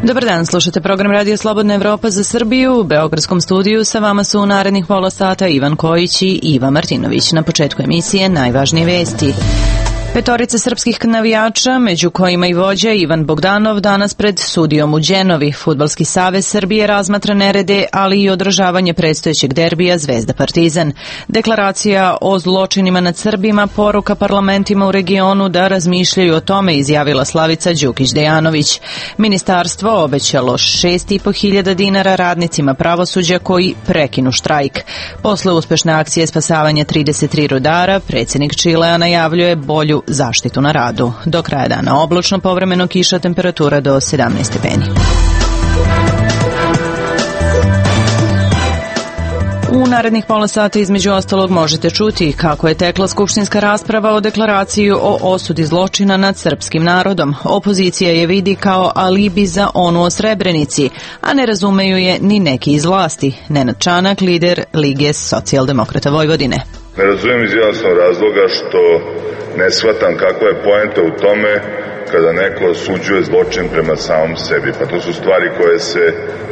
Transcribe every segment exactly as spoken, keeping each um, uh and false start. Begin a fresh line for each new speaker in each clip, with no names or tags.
Dobar dan, slušate program Radio Slobodna Evropa za Srbiju. U beogradskom studiju sa vama su u narednih pola sata Ivan Kojić i Iva Martinović. Na početku emisije najvažnije vesti. Petorica srpskih navijača, među kojima i vođa Ivan Bogdanov, danas pred sudijom u Đenovi. Fudbalski savez Srbije razmatra nerede, ali i održavanje predstojećeg derbija Zvezda Partizan. Deklaracija o zločinima nad Srbima, poruka parlamentima u regionu da razmišljaju o tome, izjavila Slavica Đukić-Dejanović. Ministarstvo obećalo šest i po hiljada dinara radnicima pravosuđa koji prekinu štrajk. Posle uspešne akcije spasavanja trideset tri rudara, predsjednik Čilea najavljuje bolju zaštitu na radu. Do kraja dana oblačno, povremeno kiša, temperatura do sedamnaest stepeni. U narednih pola sata između ostalog možete čuti kako je tekla skupštinska rasprava o deklaraciji o osudi zločina nad srpskim narodom. Opozicija je vidi kao alibi za onu o Srebrenici, a ne razumeju je ni neki iz vlasti. Nenad Čanak, lider Lige socijaldemokrata Vojvodine.
Ne razumijem iz jasnog razloga što ne shvatam kakva je poenta u tome kada neko osuđuje zločin prema samom sebi. Pa to su stvari koje se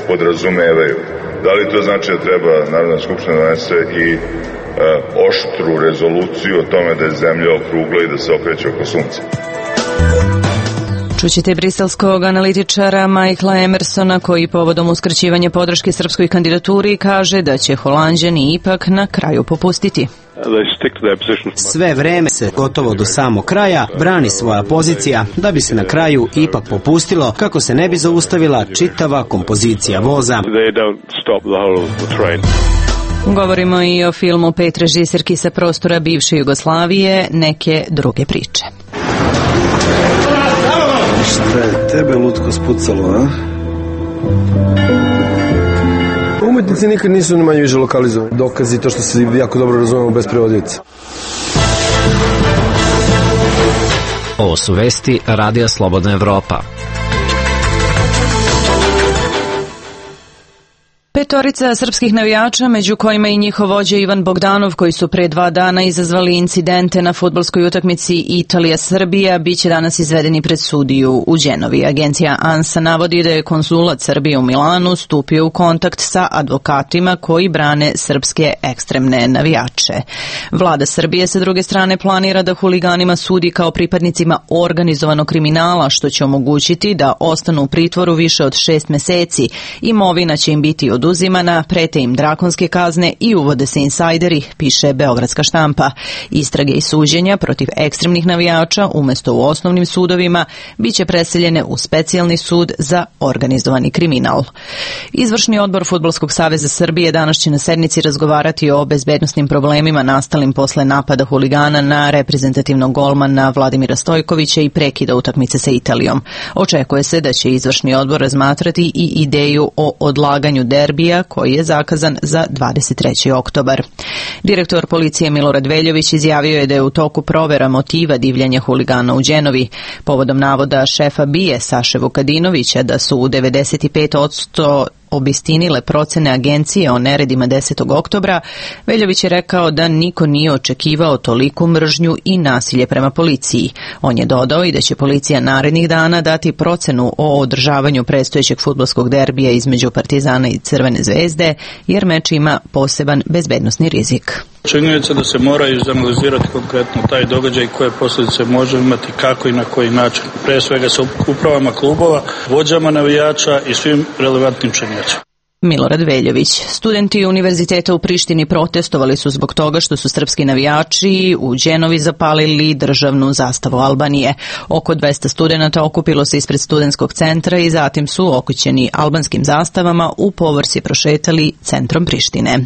podrazumevaju. Da li to znači da treba Narodna skupština donese i e, oštru rezoluciju o tome da je zemlja okrugla i da se okreće oko sunca?
Čućete briselskog analitičara Michaela Emersona koji povodom uskraćivanja podrške srpskoj kandidaturi kaže da će Holanđani ipak na kraju popustiti.
Sve vreme se gotovo do samog kraja brani svoja pozicija da bi se na kraju ipak popustilo kako se ne bi zaustavila čitava kompozicija voza.
Govorimo i o filmu pet režiserki sa prostora bivše Jugoslavije, neke druge priče.
Šta je tebe lutko spucalo, a? Umetnici nikad nisu ni manje više lokalizovani. Dokazi to što se jako dobro razumemo bez prevodioca.
Ovo su vesti Radija Slobodna Evropa.
Petorica srpskih navijača, među kojima i njihov vođa Ivan Bogdanov, koji su pre dva dana izazvali incidente na fudbalskoj utakmici Italija-Srbija, biće danas izvedeni pred sudiju u Đenovi. Agencija ANSA navodi da je konzulat Srbije u Milanu stupio u kontakt sa advokatima koji brane srpske ekstremne navijače. Vlada Srbije sa druge strane planira da huliganima sudi kao pripadnicima organizovanog kriminala, što će omogućiti da ostanu u pritvoru više od šest meseci. Imovina će im biti oduzimana, prete im drakonske kazne i uvode se insajderi, piše Beogradska štampa. Istrage i suđenja protiv ekstremnih navijača umesto u osnovnim sudovima biće preseljene u specijalni sud za organizovani kriminal. Izvršni odbor Fudbalskog saveza Srbije danas će na sednici razgovarati o bezbednosnim problemima nastalim posle napada huligana na reprezentativnog golmana Vladimira Stojkovića i prekida utakmice sa Italijom. Očekuje se da će izvršni odbor razmatrati i ideju o odlaganju derbija koji je zakazan za dvadeset treći oktobar. Direktor policije Milorad Veljović izjavio je da je u toku provera motiva divljanja huligana u Đenovi. Povodom navoda šefa B I A E Saše Vukadinovića da su u devedeset pet posto obistinile procene agencije o neredima desetog oktobra, Veljović je rekao da niko nije očekivao toliku mržnju i nasilje prema policiji. On je dodao i da će policija narednih dana dati procenu o održavanju predstojećeg fudbalskog derbija između Partizana i Crvene zvezde, jer meč ima poseban bezbednosni rizik.
Činjenica da se mora izanalizirati konkretno taj događaj, koje posljedice može imati, kako i na koji način. Pre svega sa upravama klubova, vođama navijača i svim relevantnim činjenicama.
Milorad Veljović. Studenti Univerziteta u Prištini protestovali su zbog toga što su srpski navijači u Đenovi zapalili državnu zastavu Albanije. Oko dvesta studenata okupilo se ispred studentskog centra i zatim su okućeni albanskim zastavama u povorci prošetali centrom Prištine.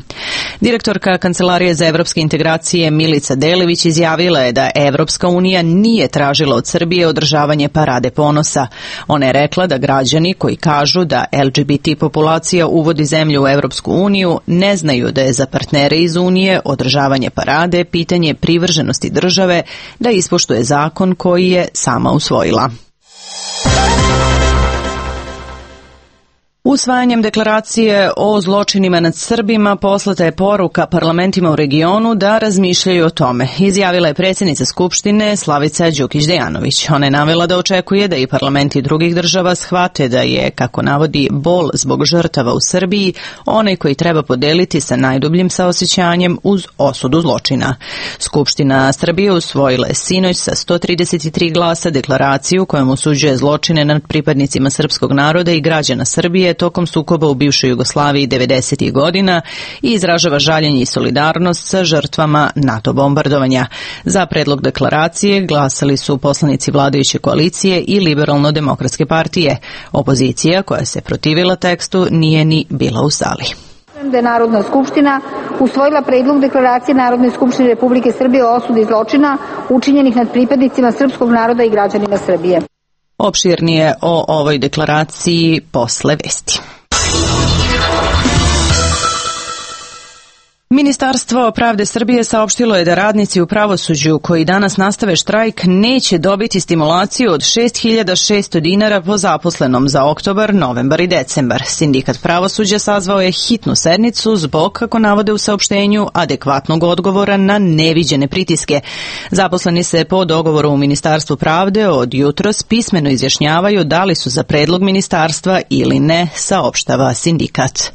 Direktorka Kancelarije za evropske integracije Milica Delević izjavila je da Evropska unija nije tražila od Srbije održavanje parade ponosa. Ona je rekla da građani koji kažu da L G B T populacija u uvodi zemlju u Evropsku uniju ne znaju da je za partnere iz Unije održavanje parade pitanje privrženosti države da ispoštuje zakon koji je sama usvojila. Usvajanjem deklaracije o zločinima nad Srbima poslata je poruka parlamentima u regionu da razmišljaju o tome, izjavila je predsjednica Skupštine Slavica Đukić-Dejanović. Ona je navela da očekuje da i parlamenti drugih država shvate da je, kako navodi, bol zbog žrtava u Srbiji onaj koji treba podeliti sa najdubljim saosjećanjem uz osudu zločina. Skupština Srbije usvojila je sinoć sa sto trideset tri glasa deklaraciju kojom osuđuje zločine nad pripadnicima srpskog naroda i građana Srbije tokom sukoba u bivšoj Jugoslaviji devedesetih godina i izražava žaljenje i solidarnost sa žrtvama NATO bombardovanja. Za predlog deklaracije glasali su poslanici vladajuće koalicije i Liberalno-demokratske partije. Opozicija, koja se protivila tekstu, nije ni bila u sali.
Da je Narodna skupština usvojila predlog deklaracije Narodne skupštine Republike Srbije o osudi zločina učinjenih nad pripadnicima srpskog naroda i građanima Srbije.
Opširnije o ovoj deklaraciji posle vesti. Ministarstvo pravde Srbije saopštilo je da radnici u pravosuđu koji danas nastave štrajk neće dobiti stimulaciju od šest hiljada šesto dinara po zaposlenom za oktobar, novembar i decembar. Sindikat pravosuđa sazvao je hitnu sednicu zbog, kako navode u saopštenju, adekvatnog odgovora na neviđene pritiske. Zaposleni se po dogovoru u Ministarstvu pravde od jutros pismeno izjašnjavaju da li su za predlog ministarstva ili ne, saopštava sindikat.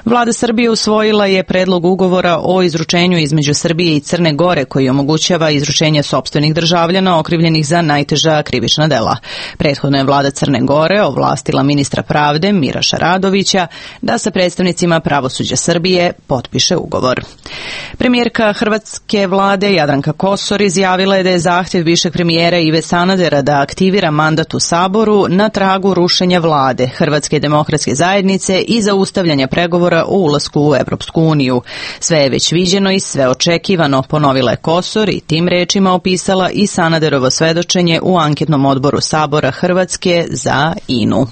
Vlada Srbije usvojila je predlog ugovora o izručenju između Srbije i Crne Gore koji omogućava izručenje sopstvenih državljana okrivljenih za najteža krivična dela. Prethodno je vlada Crne Gore ovlastila ministra pravde Miraša Radovića da sa predstavnicima pravosuđa Srbije potpiše ugovor. Premijerka hrvatske vlade Jadranka Kosor izjavila je da je zahtjev višeg premijera Ive Sanadera da aktivira mandat u Saboru na tragu rušenja vlade Hrvatske demokratske zajednice i zaustavljanja pregovora o ulasku u Evropsku uniju. Sve je već viđeno i sve očekivano, ponovila je Kosor i tim rečima opisala i Sanaderovo svedočenje u anketnom odboru Sabora Hrvatske za I N U.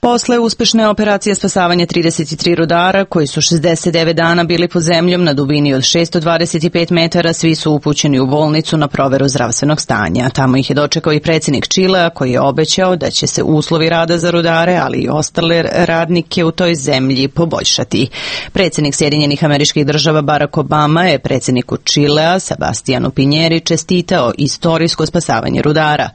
Posle uspešne operacije spasavanja trideset tri rudara, koji su šezdeset devet dana bili pod zemljom na dubini od šessto dvadeset pet metara, svi su upućeni u bolnicu na proveru zdravstvenog stanja. Tamo ih je dočekao i predsjednik Čilea, koji je obećao da će se uslovi rada za rudare, ali i ostale radnike u toj zemlji poboljšati. Predsjednik Sjedinjenih Američkih Država Barack Obama je predsjedniku Čilea Sebastianu Pinjeri čestitao istorijsko spasavanje rudara.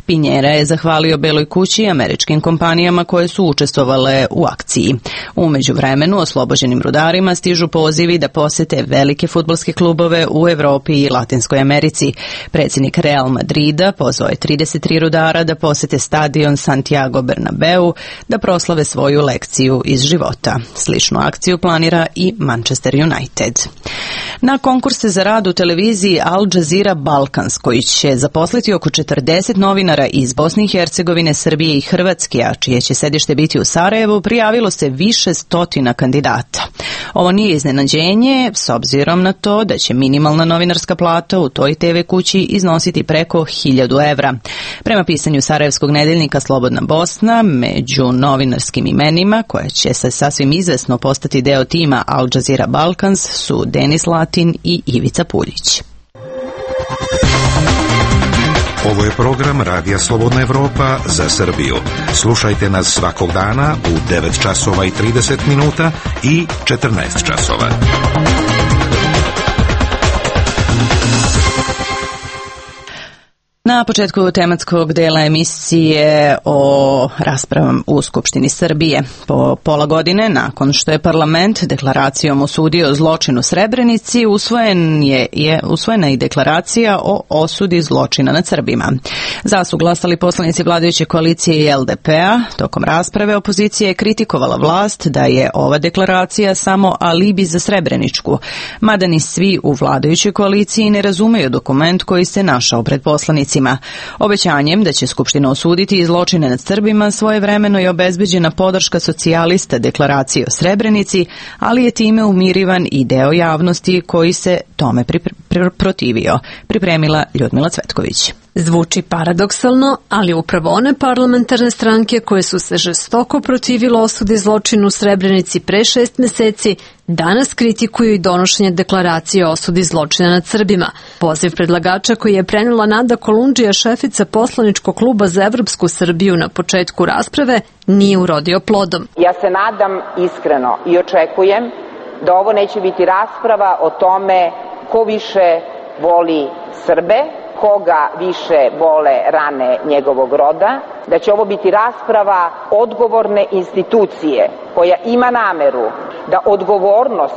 Pinjera je zahvalio Beloj kući i američkim kompanijama koje su su učestvovale u akciji. U međuvremenu oslobođenim rudarima stižu pozivi da posete velike fudbalske klubove u Evropi i Latinskoj Americi. Predsjednik Real Madrida pozvao je trideset tri rudara da posete stadion Santiago Bernabeu da proslave svoju lekciju iz života. Sličnu akciju planira i Manchester United. Na konkurse za rad u televiziji Al Jazeera Balkans, koji će zaposliti oko četrdeset novinara iz Bosne i Hercegovine, Srbije i Hrvatske, a čije će sedište biti u Sarajevu, prijavilo se više stotina kandidata. Ovo nije iznenađenje, s obzirom na to da će minimalna novinarska plata u toj te ve kući iznositi preko hiljadu evra. Prema pisanju sarajevskog nedeljnika Slobodna Bosna, među novinarskim imenima, koje će se sasvim izvesno postati deo tima Al Jazeera Balkans, su Denis Latin i Ivica Puljić.
Ovo je program Radija Slobodna Evropa za Srbiju. Slušajte nas svakog dana u devet časova i trideset minuta i četrnaest časova.
Na početku tematskog dela emisije o raspravom u Skupštini Srbije. Po pola godine, nakon što je parlament deklaracijom osudio zločin u Srebrenici, usvojen je, je, usvojena i deklaracija o osudi zločina nad Srbima. Za su glasali poslanici vladajuće koalicije i el de pe-a. Tokom rasprave opozicija je kritikovala vlast da je ova deklaracija samo alibi za Srebreničku, mada ni svi u vladajućoj koaliciji ne razumeju dokument koji se našao pred poslanicima. Obećanjem da će Skupština osuditi zločine nad Srbima svojevremeno je obezbeđena podrška socijalista deklaracije o Srebrenici, ali je time umirivan i deo javnosti koji se tome pripre- protivio. Pripremila Ljudmila Cvetković.
Zvuči paradoksalno, ali upravo one parlamentarne stranke koje su se žestoko protivile osudi zločinu u Srebrenici pre šest meseci, danas kritikuju i donošenje deklaracije o osudi zločina nad Srbima. Poziv predlagača koji je prenela Nada Kolundžija, šefica poslaničkog kluba za Evropsku Srbiju na početku rasprave, nije urodio plodom.
Ja se nadam iskreno i očekujem da ovo neće biti rasprava o tome ko više voli Srbe, koga više bole rane njegovog roda, da će ovo biti rasprava odgovorne institucije koja ima nameru da odgovornost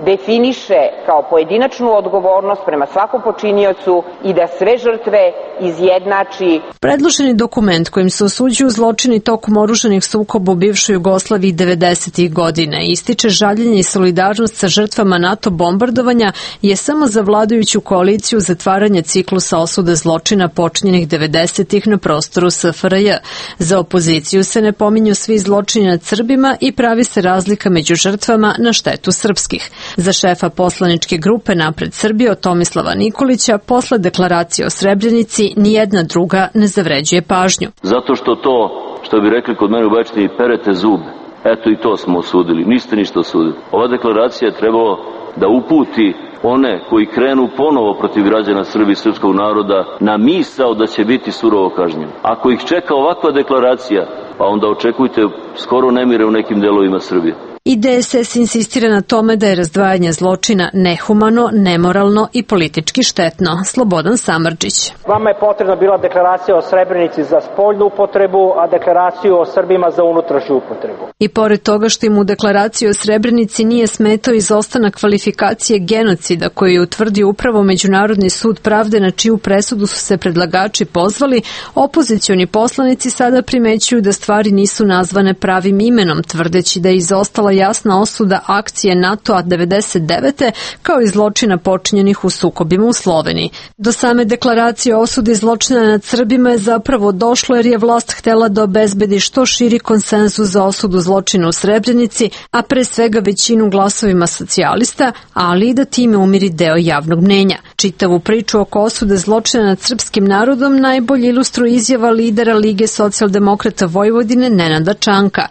definiše kao pojedinačnu odgovornost prema svakom počiniocu i da sve žrtve izjednači.
Predloženi dokument kojim se osuđuju zločini tokom oružanih sukoba u bivšoj Jugoslaviji devedesetih godina ističe žaljenje i solidarnost sa žrtvama NATO bombardovanja je samo za vladajuću koaliciju zatvaranje ciklusa osude zločina počinjenih devedesetih na prostoru S F R J. Za opoziciju se ne pominju svi zločini nad Srbima i pravi se razlika među žrtvama na štetu srpskih. Za šefa poslaničke grupe Napred Srbijo Tomislava Nikolića posle deklaracije o Srebrenici nijedna druga ne zavređuje pažnju.
Zato što to, što bi rekli kod mene u Bečni, perete zube. Eto i to smo osudili. Niste ništa osudili. Ova deklaracija je trebalo da uputi one koji krenu ponovo protiv građana Srbije i srpskog naroda na misao da će biti surovo kažnjeni. Ako ih čeka ovakva deklaracija, pa onda očekujte skoro nemire u nekim delovima Srbije.
I D S S insistira na tome da je razdvajanje zločina nehumano, nemoralno i politički štetno. Slobodan Samardžić.
Vama je potrebna bila deklaracija o Srebrenici za spoljnu upotrebu, a deklaraciju o Srbima za unutrašnju upotrebu.
I pored toga što im u deklaraciji o Srebrenici nije smetao izostanak kvalifikacije genocida koju je utvrdio upravo Međunarodni sud pravde na čiju presudu su se predlagači pozvali, opozicioni poslanici sada primećuju da stvari nisu nazvane pravim imenom, tvrdeći da je izostala jasna osuda akcije NATO-a devedeset devete kao i zločina počinjenih u sukobima u Sloveniji. Do same deklaracije o osudi zločina nad Srbima je zapravo došlo jer je vlast htela da obezbedi što širi konsenzus za osudu zločina u Srebrenici, a pre svega većinu glasovima socijalista, ali i da time umiri deo javnog mnenja. Čitavu priču oko osude zločina nad srpskim narodom najbolje ilustruje izjava lidera Lige socijaldemokrata Vojvodine Nenada Čanka.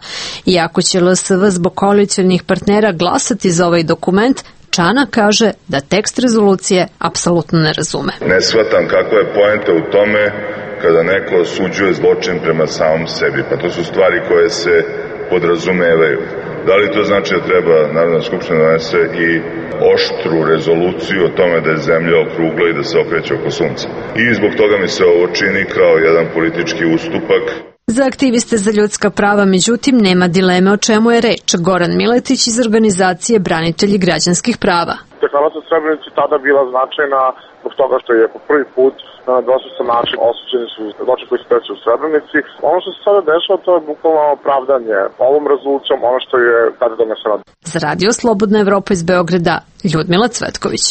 Iako će L S V zbog koalicionih partnera glasati za ovaj dokument, Čana kaže da tekst rezolucije apsolutno ne razume.
Ne shvatam kakva je poenta u tome kada neko osuđuje zločin prema samom sebi, pa to su stvari koje se podrazumevaju. Da li to znači da treba Narodna skupština donese i oštru rezoluciju o tome da je zemlja okrugla i da se okreće oko sunca? I zbog toga mi se ovo čini kao jedan politički ustupak.
Za aktiviste za ljudska prava, međutim, nema dileme o čemu je reč. Goran Miletić iz organizacije Branitelji građanskih prava.
Deklaracija o Srebrenici tada bila značajna zbog toga što je po prvi put na dvostrukan način osuđeni su zločini koji se desili u Srebrenici. Ono što se sada dešava, to je bukvalno opravdanje ovom rezolucijom, ono što je tada doneseno.
Za Radio Slobodna Evropa iz Beograda, Ljudmila Cvetković.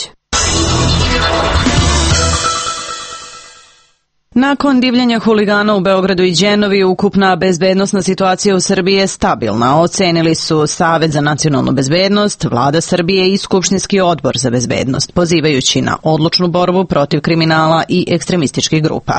Nakon divljanja huligana u Beogradu i Đenovi, ukupna bezbednosna situacija u Srbiji je stabilna, ocenili su Savet za nacionalnu bezbednost, Vlada Srbije i Skupštinski odbor za bezbednost, pozivajući na odlučnu borbu protiv kriminala i ekstremističkih grupa.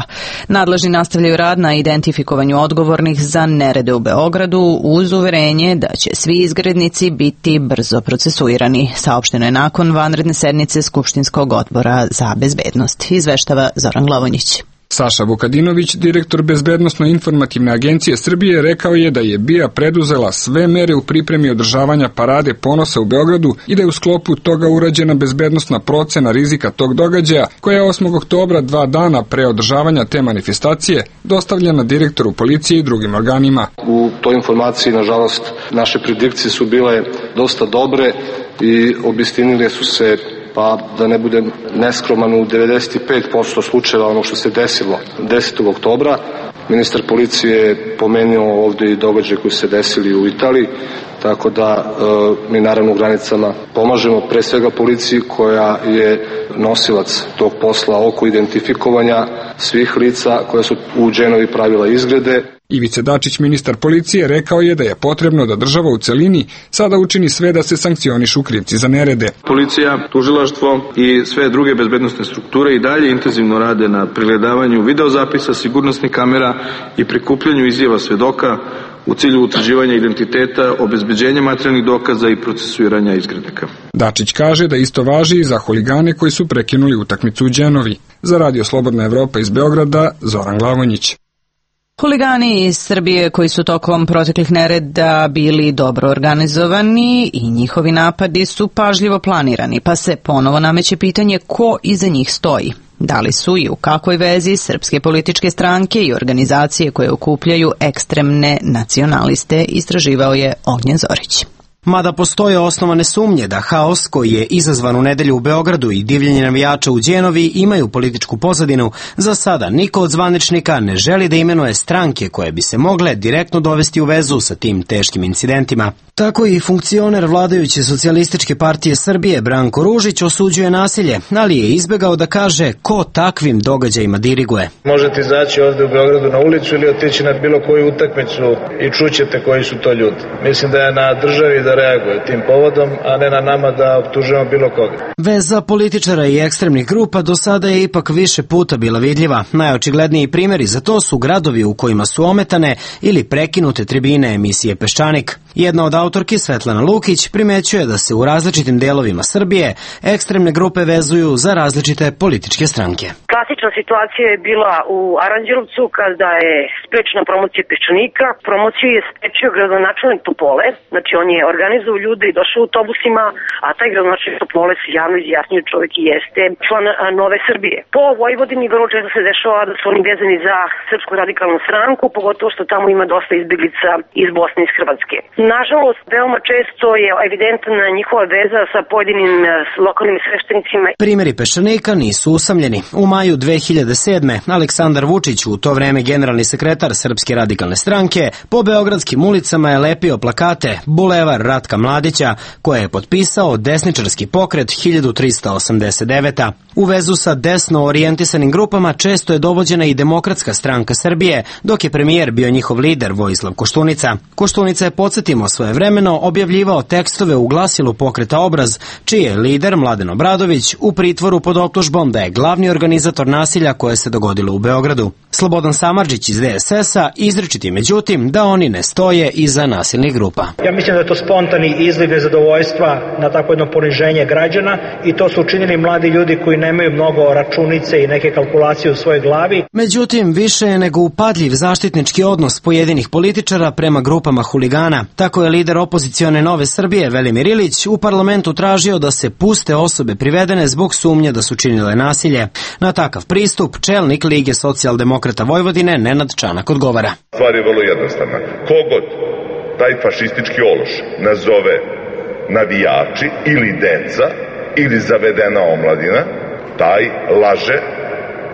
Nadležni nastavljaju rad na identifikovanju odgovornih za nerede u Beogradu uz uverenje da će svi izgrednici biti brzo procesuirani, saopšteno je nakon vanredne sednice Skupštinskog odbora za bezbednost, izveštava Zoran Glavonjić.
Saša Vukadinović, direktor Bezbednosno-informativne agencije Srbije, rekao je da je B I A preduzela sve mere u pripremi održavanja parade ponosa u Beogradu i da je u sklopu toga urađena bezbednosna procena rizika tog događaja, koja je osmog oktobra, dva dana pre održavanja te manifestacije, dostavljena direktoru policije i drugim organima.
U toj informaciji, nažalost, naše predikcije su bile dosta dobre i obistinile su se, pa da ne budem neskroman, u devedeset pet posto slučajeva ono što se desilo desetog oktobra. Ministar policije je pomenuo ovdje i događaje koji se desili u Italiji, tako da e, mi naravno u granicama pomažemo pre svega policiji koja je nosilac tog posla oko identifikovanja svih lica koja su u Dženovi pravila izgrede.
Ivica Dačić, ministar policije, rekao je da je potrebno da država u celini sada učini sve da se sankcionišu krivci za nerede.
Policija, tužilaštvo i sve druge bezbednosne strukture i dalje intenzivno rade na pregledavanju videozapisa, sigurnosnih kamera i prikupljanju izjava svedoka u cilju utvrđivanja identiteta, obezbeđenja materijalnih dokaza i procesuiranja izgrednika.
Dačić kaže da isto važi i za huligane koji su prekinuli utakmicu u Đenovi. Za Radio Slobodna Evropa iz Beograda, Zoran Glavonjić.
Huligani iz Srbije koji su tokom proteklih nereda bili dobro organizovani i njihovi napadi su pažljivo planirani, pa se ponovo nameće pitanje ko iza njih stoji. Da li su i u kakvoj vezi srpske političke stranke i organizacije koje okupljaju ekstremne nacionaliste, istraživao je Ognjen Zorić.
Mada postoje osnovane sumnje da haos koji je izazvan u nedelju u Beogradu i divljenje navijača u Đenovi imaju političku pozadinu, za sada niko od zvaničnika ne želi da imenuje stranke koje bi se mogle direktno dovesti u vezu sa tim teškim incidentima. Tako i funkcioner vladajuće socijalističke partije Srbije Branko Ružić osuđuje nasilje, ali je izbegao da kaže ko takvim događajima diriguje.
Možete izaći ovde u Beogradu na ulicu ili otići na bilo koju utakmicu i čućete koji su to ljudi. Mislim da je na državi da reaguje tim povodom, a ne na nama da optužujemo bilo koga.
Veza političara i ekstremnih grupa do sada je ipak više puta bila vidljiva. Najočigledniji primjeri za to su gradovi u kojima su ometane ili prekinute tribine emisije Peščanik. Jedna od autorki, Svetlana Lukić, primećuje da se u različitim delovima Srbije ekstremne grupe vezuju za različite političke stranke.
Klasična situacija je bila u Aranđelovcu kada je sprečena promocija Peščanika. Promociju je sprečio gradonačelnik Topole, znači on je organizovao ljude i došao autobusima, a taj gradonačelnik Topole se javno izjasnio čovjek i jeste član Nove Srbije. Po Vojvodini vrlo često se dešava da su oni vezani za Srpsku radikalnu stranku, pogotovo što tamo ima dosta izbjeglica iz Bosne i iz Hrvatske. Nažalost, veoma često je evidentna njihova veza sa pojedinim lokalnim sveštenicima.
Primjeri Peščanika nisu usamljeni. U maju dve hiljade sedme. Aleksandar Vučić, u to vreme generalni sekretar Srpske radikalne stranke, po beogradskim ulicama je lepio plakate Bulevar Ratka Mladića, koje je potpisao desničarski pokret hiljadu trista osamdeset devete. U vezu sa desno orijentisanim grupama često je dovođena i Demokratska stranka Srbije, dok je premijer bio njihov lider Vojislav Koštunica. Koštunica je, podsjetimo, svojevremeno objavljivao tekstove u glasilu pokreta Obraz, čiji je lider Mladen Obradović u pritvoru pod optužbom da je glavni organizator nasilja koje se dogodilo u Beogradu. Slobodan Samardžić iz D S S-a izričiti međutim da oni ne stoje iza nasilnih grupa.
Ja mislim da je to spontani izliv nezadovoljstva na tako jedno poniženje građana i to su učinili mladi ljudi koji nemaju mnogo računice i neke kalkulacije u svojoj glavi.
Međutim, više je nego upadljiv zaštitnički odnos pojedinih političara prema grupama huligana. Tako je lider opozicione Nove Srbije Velimir Ilić u parlamentu tražio da se puste osobe privedene zbog sumnje da su činile nasilje. Na takav pristup čelnik Lige socijaldemokrata Vojvodine Nenad Čanak odgovara.
Stvar je vrlo jednostavna. Kogod taj fašistički ološ nazove navijači ili deca ili zavedena omladina, taj laže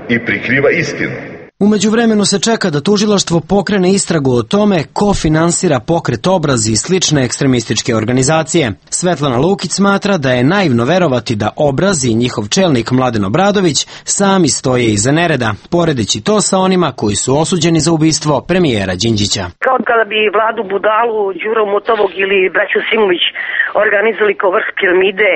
i prikriva istinu.
U međuvremenu se čeka da tužilaštvo pokrene istragu o tome ko finansira pokret Obraz i slične ekstremističke organizacije. Svetlana Lukić smatra da je naivno verovati da Obraz i njihov čelnik Mladen Obradović sami stoje iza nereda, poredeći to sa onima koji su osuđeni za ubistvo premijera Đinđića.
Kao kada bi Vladu Budalu, Đuru Motovog ili braću Simović organizovali kao vrh piramide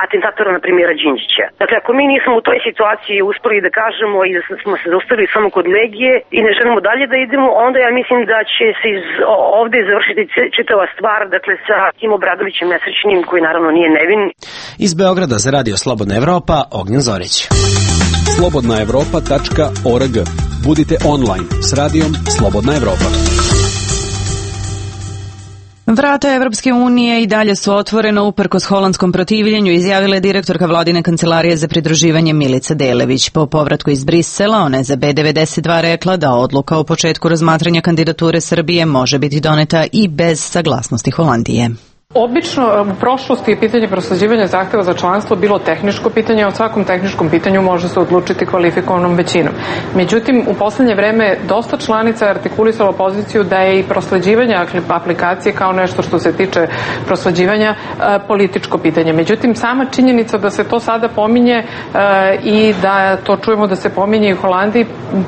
atentatora na premijera Đinđića. Dakle, ako mi nismo u toj situaciji uspeli da kažemo i da smo se zaustavili samo kod Legije i ne želimo dalje da idemo, onda ja mislim da će se iz, ovde završiti čitava stvar, dakle, sa tim Obradovićem nesrećnim, koji naravno nije nevin.
Iz Beograda za Radio Slobodna Evropa, Ognjen Zorić.
slobodna evropa tačka org. Budite online s radijom Slobodna Evropa.
Vrata Evropske unije i dalje su otvorena uprkos holandskom protivljenju, izjavila je direktorka vladine kancelarije za pridruživanje Milica Delević. Po povratku iz Brisela, ona je za B devedeset dva rekla da odluka o početku razmatranja kandidature Srbije može biti doneta i bez saglasnosti Holandije.
Obično u prošlosti je pitanje prosleđivanja zahteva za članstvo bilo tehničko pitanje, a o svakom tehničkom pitanju može se odlučiti kvalifikovanom većinom. Međutim, u poslednje vreme dosta članica je artikulisalo poziciju da je i prosleđivanje aplikacije kao nešto što se tiče prosleđivanja političko pitanje. Međutim, sama činjenica da se to sada pominje i da to čujemo da se pominje i u Holandiji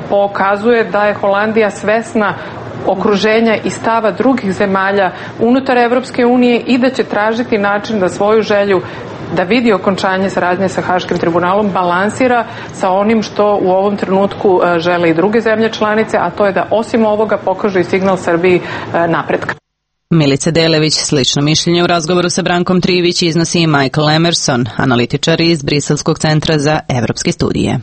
pokazuje da je Holandija svesna okruženja i stava drugih zemalja unutar Evropske unije i da će tražiti način da svoju želju da vidi okončanje saradnje sa Haškim tribunalom balansira sa onim što u ovom trenutku žele i druge zemlje članice, a to je da osim ovoga pokaže i signal Srbiji napretka.
Milica Delević slično mišljenje u razgovoru sa Brankom Trivić iznosi i Michael Emerson, analitičar iz Briselskog centra za evropske studije.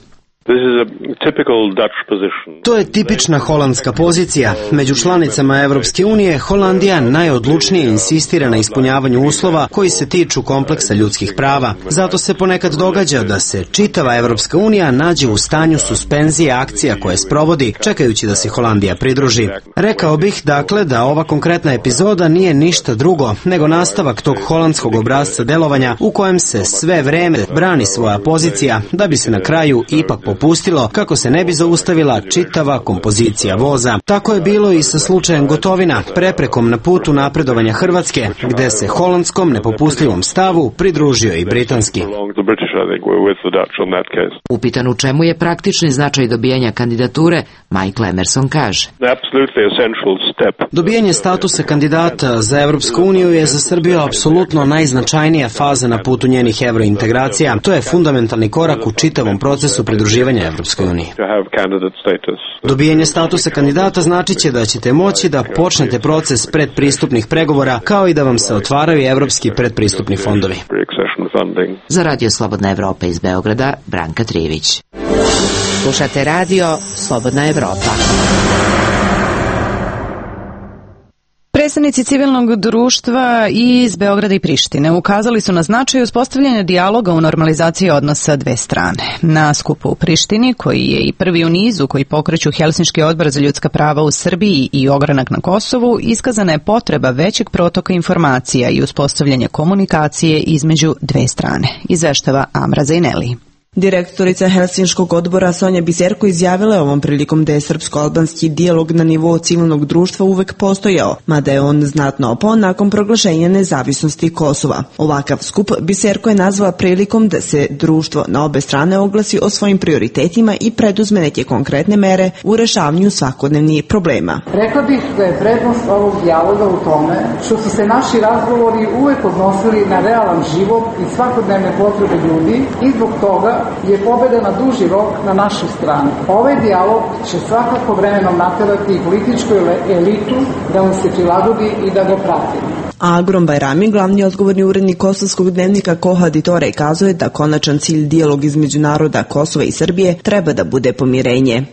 To je tipična holandska pozicija. Među članicama Evropske unije Holandija najodlučnije insistira na ispunjavanju uslova koji se tiču kompleksa ljudskih prava. Zato se ponekad događa da se čitava Evropska unija nađe u stanju suspenzije akcija koje sprovodi, čekajući da se Holandija pridruži. Rekao bih, dakle, da ova konkretna epizoda nije ništa drugo nego nastavak tog holandskog obrasca delovanja u kojem se sve vreme brani svoja pozicija da bi se na kraju ipak popustilo kako se ne bi zaustavila čitava kompozicija voza. Tako je bilo i sa slučajem Gotovina, preprekom na putu napredovanja Hrvatske, gde se holandskom nepopustljivom stavu pridružio i britanski.
Upitan u čemu je praktični značaj dobijanja kandidature, Michael Emerson kaže.
Dobijanje statusa kandidata za Evropsku uniju je za Srbiju apsolutno najznačajnija faza na putu njenih evrointegracija. To je fundamentalni korak u čitavom procesu pridruživanja Evropskoj uniji. Dobijanje statusa kandidata značit će da ćete moći da počnete proces predpristupnih pregovora, kao i da vam se otvaraju evropski predpristupni fondovi.
Za Radio Slobodna Evropa iz Beograda, Branka Trivić. Slušate Radio Slobodna Evropa.
Predstavnici civilnog društva iz Beograda i Prištine ukazali su na značaj uspostavljanja dijaloga u normalizaciji odnosa dve strane. Na skupu u Prištini, koji je i prvi u nizu koji pokreću Helsinški odbor za ljudska prava u Srbiji i ogranak na Kosovu, iskazana je potreba većeg protoka informacija i uspostavljanja komunikacije između dve strane, izveštava Amra Zaineli.
Direktorica Helsinškog odbora Sonja Biserko izjavila je ovom prilikom da je srpsko-albanski dijalog na nivou civilnog društva uvek postojao, mada je on znatno opao nakon proglašenja nezavisnosti Kosova. Ovakav skup Biserko je nazvala prilikom da se društvo na obe strane oglasi o svojim prioritetima i preduzme neke konkretne mere u rešavanju svakodnevnih problema.
Rekla bih da je prednost ovog dijaloga u tome što su se naši razgovori uvek odnosili na realan život i svakodnevne potrebe ljudi i zbog toga je pobeda na duži rok na našoj strani. Ovaj dijalog će svakako vremenom naterati i političku elitu da mu se prilagodi i da ga prati.
Agrom Bajrami, glavni odgovorni urednik kosovskog dnevnika Koha Ditore, kazuje da konačan cilj dijalog između naroda Kosova i Srbije treba da bude pomirenje.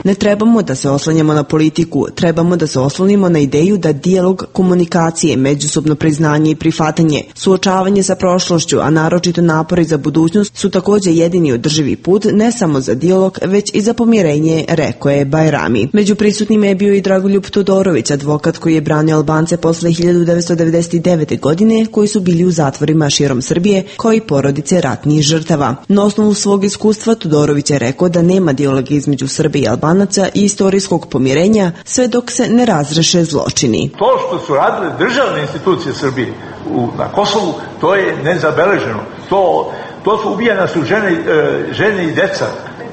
Ne trebamo da se oslanjamo na politiku, trebamo da se oslonimo na ideju da dijalog komunikacije, međusobno priznanje i prihvatanje, suočavanje sa prošlošću, a naročito napori za budućnost su takođe jedini održivi put ne samo za dijalog, već i za pomirenje, rekao je Bajrami. Među prisutnima je bio i Dragoljub Todorović, advokat koji je branio Albance posle hiljadu devetsto devedeset devete. godine, koji su bili u zatvorima širom Srbije, kao i porodice ratnih žrtava. Na osnovu svog iskustva Todorović je rekao da nema dijaloga između Srbije i Albanaca i istorijskog pomirenja sve dok se ne razreše zločini.
To što su radile državne institucije Srbije u, na Kosovu, to je nezabeleženo. To, to su ubijana su žene, žene i deca.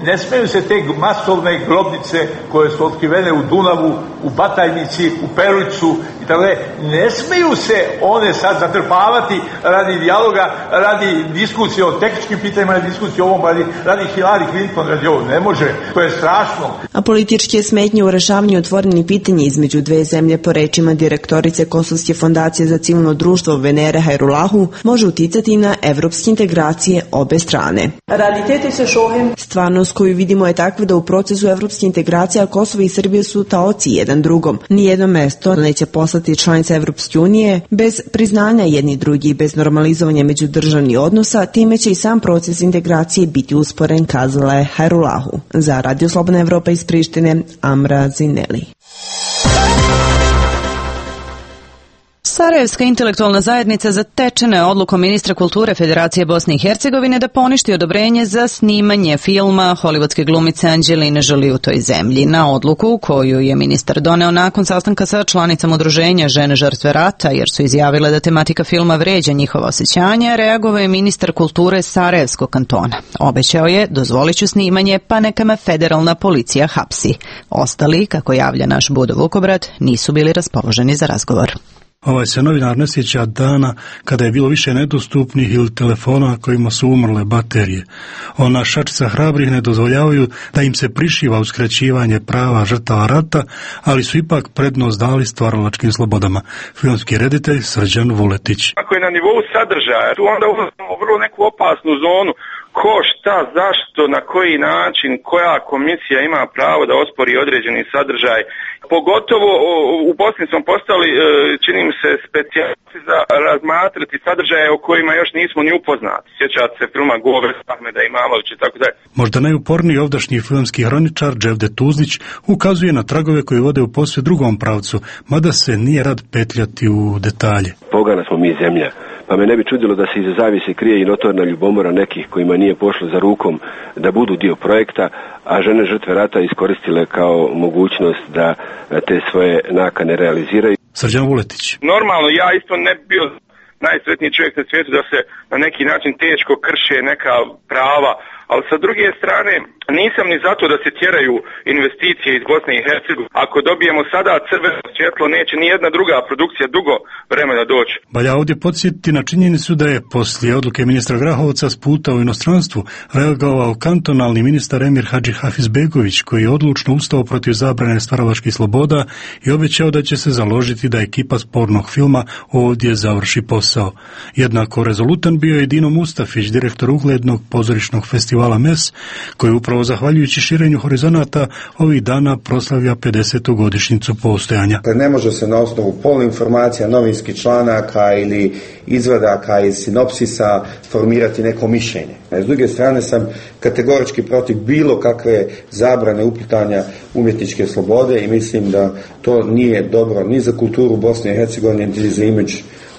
Ne smeju se te masovne grobnice koje su otkrivene u Dunavu, u Batajnici, u Perućcu i tako dalje. Ne smeju se one sad zatrpavati radi dijaloga, radi diskusije o tehničkim pitanjima, radi diskusije o ovom, radi, radi Hillary Clinton, radi ovo. Ne može, to je strašno.
A političke smetnje u rešavanju otvorenih pitanja između dve zemlje, po rečima direktorice Kosovske fondacije za civilno društvo Venere Hajrulahu, može uticati na evropske integracije obe strane. Stvarnost koju vidimo je takva da u procesu evropske integracije Kosovo i Srbije su taoci jedan drugom. Nijedno mesto neće postati članica Evropske unije bez priznanja jedni drugi i bez normalizovanja međudržavnih odnosa, time će i sam proces integracije biti usporen, kazala je Hajrulahu. Za Radio Slobodna Evropa iz Prištine, Amra Zineli.
Sarajevska intelektualna zajednica zatečena je odlukom ministra kulture Federacije Bosne i Hercegovine da poništi odobrenje za snimanje filma hollywoodske glumice Anđeline Jolie u toj zemlji. Na odluku koju je ministar doneo nakon sastanka sa članicama udruženja Žene žrtve rata, jer su izjavile da tematika filma vređa njihova osjećanja, reagovao je ministar kulture Sarajevskog kantona. Obećao je, dozvolit ću snimanje, pa neka me federalna policija hapsi. Ostali, kako javlja naš Budo Vukobrat, nisu bili raspoloženi za razgovor.
Ovaj se novinar ne sjeća dana kada je bilo više nedostupnih ili telefona kojima su umrle baterije. Ona šačica hrabrih ne dozvoljavaju da im se prišiva uskraćivanje prava žrtava rata, ali su ipak prednost dali stvaralačkim slobodama. Filmski reditelj Srđan Vuletić.
Ako je na nivou sadržaja, tu onda ulazimo u vrlo neku opasnu zonu. Ko, šta, zašto, na koji način, koja komisija ima pravo da ospori određeni sadržaj. Pogotovo u Bosni smo postali, čini mi se, specijalisti za razmatrati sadržaje o kojima još nismo ni upoznati. Sjećate se filma Govor Ahmeda Imamovića i tako dalje.
Možda najuporniji ovdašnji filmski hroničar Dževde Tuzlić ukazuje na tragove koji vode u posve drugom pravcu, mada se nije rad petljati u detalje.
Pogana smo mi zemlja. Pa me ne bi čudilo da se iza zavise krije i notorna ljubomora nekih kojima nije pošlo za rukom da budu dio projekta, a žene žrtve rata iskoristile kao mogućnost da te svoje nakane realiziraju.
Srđan Vuletić.
Normalno, ja isto ne bi bio najsretniji čovjek na svijetu da se na neki način teško krše neka prava, ali sa druge strane nisam ni zato da se tjeraju investicije iz Bosne i Hercegovine. Ako dobijemo sada crveno svjetlo, neće ni jedna druga produkcija dugo vremena doći.
Valja ovdje podsjetiti na činjenicu da je poslije odluke ministra Grahovca s puta u inostranstvu reagovao kantonalni ministar Emir Hadži Hafizbegović, koji je odlučno ustao protiv zabrane stvaralačkih sloboda i obećao da će se založiti da ekipa spornog filma ovdje završi posao. Jednako rezolutan bio je Dino Mustafić, direktor uglednog pozorišnog festivala M E S, koji upravo zahvaljujući širenju horizonata ovih dana proslavlja pedesetu godišnjicu postojanja.
Ne može se na osnovu poluinformacija, novinskih članaka ili izvadaka iz sinopsisa formirati neko mišljenje. S druge strane sam kategorički protiv bilo kakve zabrane uplitanja umjetničke slobode i mislim da to nije dobro ni za kulturu Bosne i Hercegovine, ni za imidž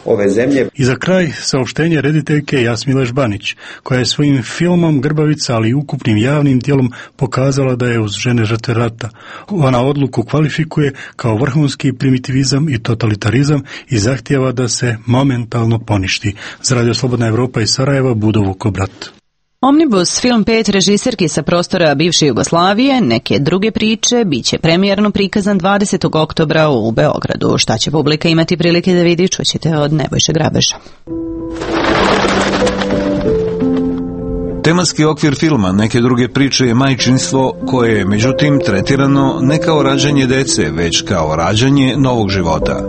ove zemlje.
I za kraj saopštenje rediteljke Jasmile Žbanić, koja je svojim filmom Grbavica, ali i ukupnim javnim djelom pokazala da je uz žene žrtve rata. Ona odluku kvalifikuje kao vrhunski primitivizam i totalitarizam i zahtijeva da se momentalno poništi. Za Radio Slobodna Evropa iz Sarajeva, Budo Vukobrat.
Omnibus, film pet režiserki sa prostora bivše Jugoslavije, neke druge priče, bit će premijerno prikazan dvadesetog oktobra u Beogradu. Šta će publika imati prilike da vidi, čućete od Nebojše Grabeža.
Tematski okvir filma Neke druge priče je majčinstvo koje je, međutim, tretirano ne kao rađanje dece, već kao rađanje novog života.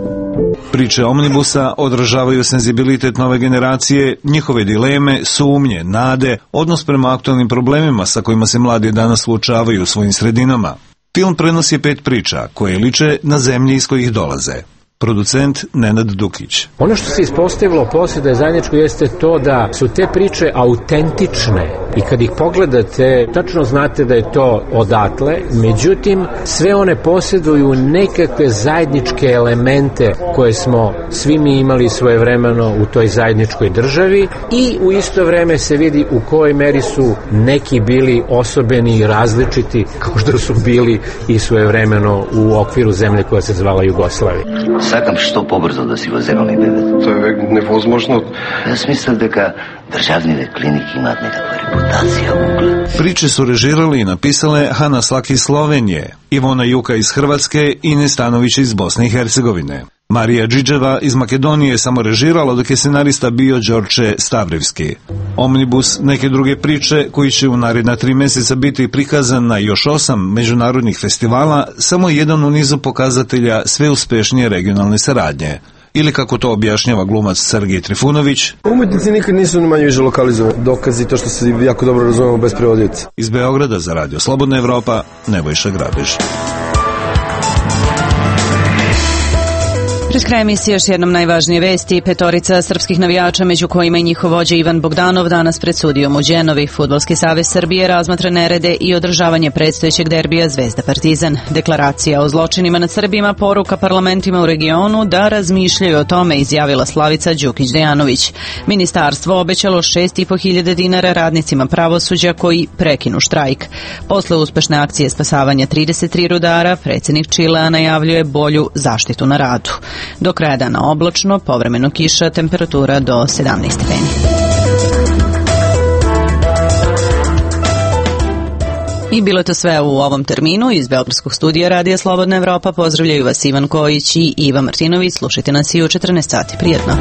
Priče Omnibusa odražavaju senzibilitet nove generacije, njihove dileme, sumnje, nade, odnos prema aktualnim problemima sa kojima se mladi danas suočavaju u svojim sredinama. Film prenosi pet priča koje liče na zemlji iz kojih dolaze. Producent Nenad Dukić.
Ono što se ispostavilo poslije da je zajedničko jeste to da su te priče autentične i kad ih pogledate tačno znate da je to odatle, međutim sve one posjeduju nekakve zajedničke elemente koje smo svi mi imali svojevremeno u toj zajedničkoj državi i u isto vreme se vidi u kojoj meri su neki bili osobeni i različiti kao što su bili i svojevremeno u okviru zemlje koja se zvala Jugoslavija.
Сакам што побрзо да си го земам бебето.
Тоа е невозможно.
Јас мислам дека државните клиники имаат некаква репутација, углед.
Priče su režirali i napisale Hana Slak iz Slovenije, Ivona Juka iz Hrvatske i Ines Stanović iz Bosne i Hercegovine. Marija Džidževa iz Makedonije je samo režirala, dok je scenarista bio Đorđe Stavrivski. Omnibus, neke druge priče, koji će u naredna tri mjeseca biti prikazan na još osam međunarodnih festivala, samo jedan u nizu pokazatelja sve uspešnije regionalne saradnje. Ili kako to objašnjava glumac Sergej Trifunović.
Umetnici nikad nisu manje više lokalizovani. Dokazi to što se jako dobro razumemo bez prevodioca.
Iz Beograda za Radio Slobodna Evropa, Nebojša Grabež.
Pred kraj emisije još jednom najvažnije vesti. Petorica srpskih navijača, među kojima i njihov vođa Ivan Bogdanov, danas pred sudijom u Đenovi. Fudbalski savez Srbije razmatra nerede i održavanje predstojećeg derbija Zvezda Partizan. Deklaracija o zločinima nad Srbima, poruka parlamentima u regionu da razmišljaju o tome, izjavila Slavica Đukić-Dejanović. Ministarstvo obećalo šest i po hiljada dinara radnicima pravosuđa koji prekinu štrajk. Posle uspešne akcije spasavanja trideset tri rudara, predsjednik Čilea najavljuje bolju zaštitu na radu. Do kraja dana oblačno, povremeno kiša, temperatura do sedamnaest stepeni. I bilo je to sve u ovom terminu. Iz Beogradskog studija Radija Slobodna Evropa pozdravljaju vas Ivan Kojić i Iva Martinović. Slušajte nas i u četrnaest sati. Prijetno.